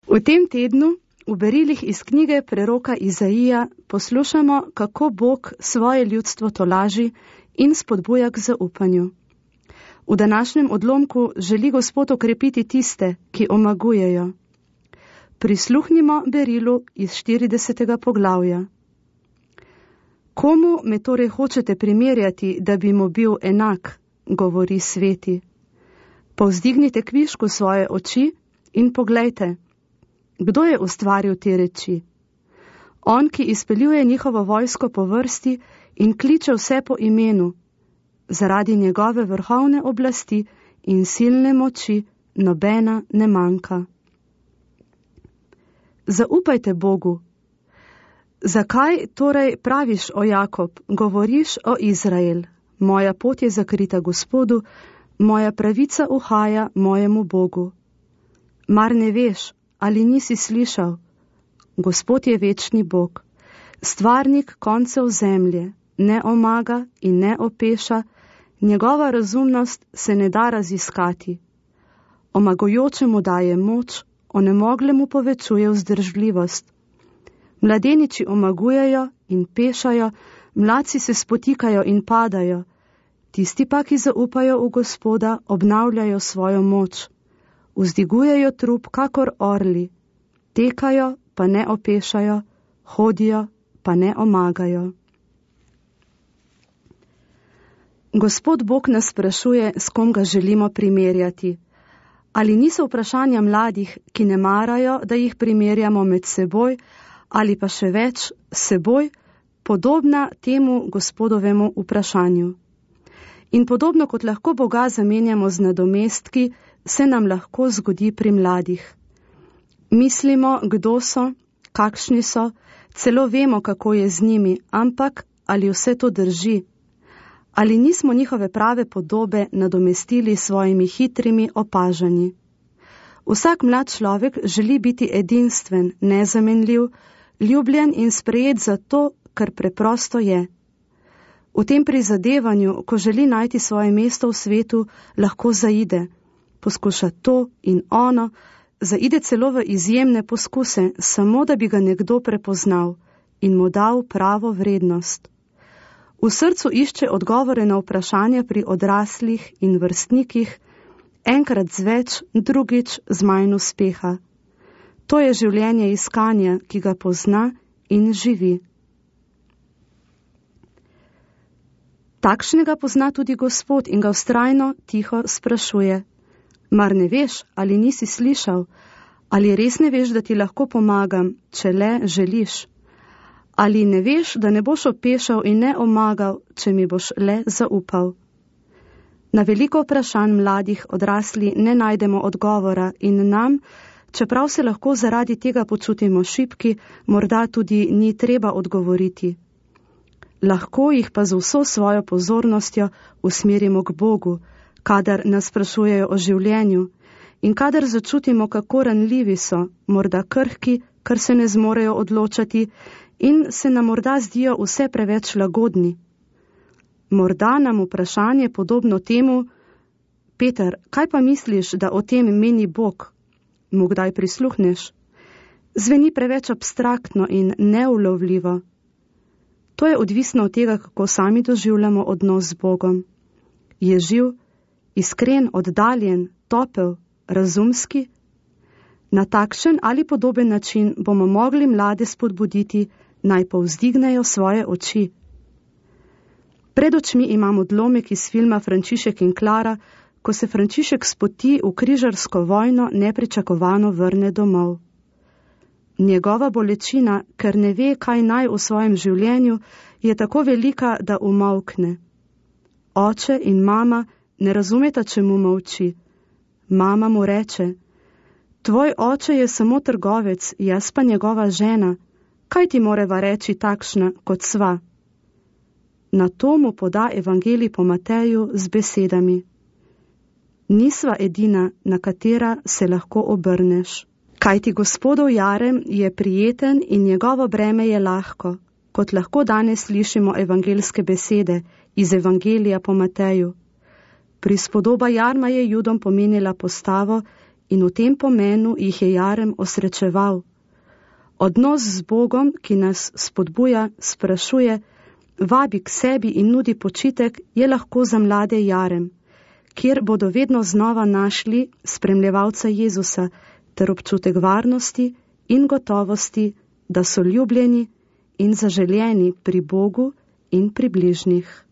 V tem tednu v berilih iz knjige preroka Izaija poslušamo, kako Bog svoje ljudstvo tolaži in spodbuja k zaupanju. V današnjem odlomku želi Gospod okrepiti tiste, ki omagujejo. Prisluhnimo berilu iz 40. poglavja. Komu me torej hočete primerjati, da bi mu bil enak, govori sveti. Povzdignite kvišku svoje oči in poglejte, kdo je ustvaril te reči. On, ki izpeljuje njihovo vojsko po vrsti in kliče vse po imenu, zaradi njegove vrhovne oblasti in silne moči nobena ne manjka. Zaupajte Bogu. Zakaj torej praviš, o Jakob, govoriš o Izrael? Moja pot je zakrita Gospodu, moja pravica uhaja mojemu Bogu. Mar ne veš, ali nisi slišal? Gospod je večni Bog, stvarnik koncev zemlje, ne omaga in ne opeša, njegova razumnost se ne da raziskati. Omagujočemu daje moč, onemoglemu povečuje vzdržljivost. Mladeniči omagujejo in pešajo, mladci se spotikajo in padajo, tisti pa, ki zaupajo v Gospoda, obnavljajo svojo moč. Vzdigujejo trup kakor orli, tekajo pa ne opešajo, hodijo pa ne omagajo. Gospod Bog nas sprašuje, s kom ga želimo primerjati. Ali niso vprašanja mladih, ki ne marajo, da jih primerjamo med seboj, ali pa še več seboj, podobna temu Gospodovemu vprašanju. In podobno kot lahko Boga zamenjamo z nadomestki, se nam lahko zgodi pri mladih. Mislimo, kdo so, kakšni so, celo vemo, kako je z njimi, ampak ali vse to drži? Ali nismo njihove prave podobe nadomestili s svojimi hitrimi opažanji? Vsak mlad človek želi biti edinstven, nezamenljiv, ljubljen in sprejet zato, ker preprosto je. V tem prizadevanju, ko želi najti svoje mesto v svetu, lahko zaide, poskuša to in ono, zaide celo v izjemne poskuse, samo da bi ga nekdo prepoznal in mu dal pravo vrednost. V srcu išče odgovore na vprašanja pri odraslih in vrstnikih, enkrat z več, drugič z manj uspeha. To je življenje iskanja, ki ga pozna in živi. Takšnega pozna tudi Gospod in ga vztrajno tiho sprašuje. Mar ne veš, ali nisi slišal, ali res ne veš, da ti lahko pomagam, če le želiš? Ali ne veš, da ne boš opešal in ne omagal, če mi boš le zaupal? Na veliko vprašanj mladih odrasli ne najdemo odgovora in nam, čeprav se lahko zaradi tega počutimo šibki, morda tudi ni treba odgovoriti. Lahko jih pa z vso svojo pozornostjo usmerimo k Bogu, kadar nas sprašujejo o življenju in kadar začutimo, kako ranljivi so, morda krhki, ker se ne zmorejo odločati in se nam morda zdijo vse preveč lagodni. Morda nam vprašanje podobno temu, Peter, kaj pa misliš, da o tem meni Bog? Mu kdaj prisluhneš? Zveni preveč abstraktno in neulovljivo. To je odvisno od tega, kako sami doživljamo odnos z Bogom. Je živ, iskren, oddaljen, topel, razumski? Na takšen ali podoben način bomo mogli mlade spodbuditi, naj povzdignejo svoje oči. Pred očmi imam odlomek iz filma Frančišek in Klara, ko se Frančišek s poti v križarsko vojno nepričakovano vrne domov. Njegova bolečina, ker ne ve, kaj naj v svojem življenju, je tako velika, da umolkne. Oče in mama ne razumeta, čemu molči. Mama mu reče, tvoj oče je samo trgovec, jaz pa njegova žena, kaj ti moreva reči takšna, kot sva? Na to mu poda evangelij po Mateju z besedami. Nisva edina, na katera se lahko obrneš. Kajti Gospodov jarem je prijeten in njegovo breme je lahko, kot lahko danes slišimo evangeljske besede iz evangelija po Mateju. Prispodoba jarma je Judom pomenila postavo in v tem pomenu jih je Jarem osrečeval. Odnos z Bogom, ki nas spodbuja, sprašuje, vabi k sebi in nudi počitek, je lahko za mlade Jarem, kjer bodo vedno znova našli spremljevalca Jezusa ter občutek varnosti in gotovosti, da so ljubljeni in zaželjeni pri Bogu in pri bližnjih.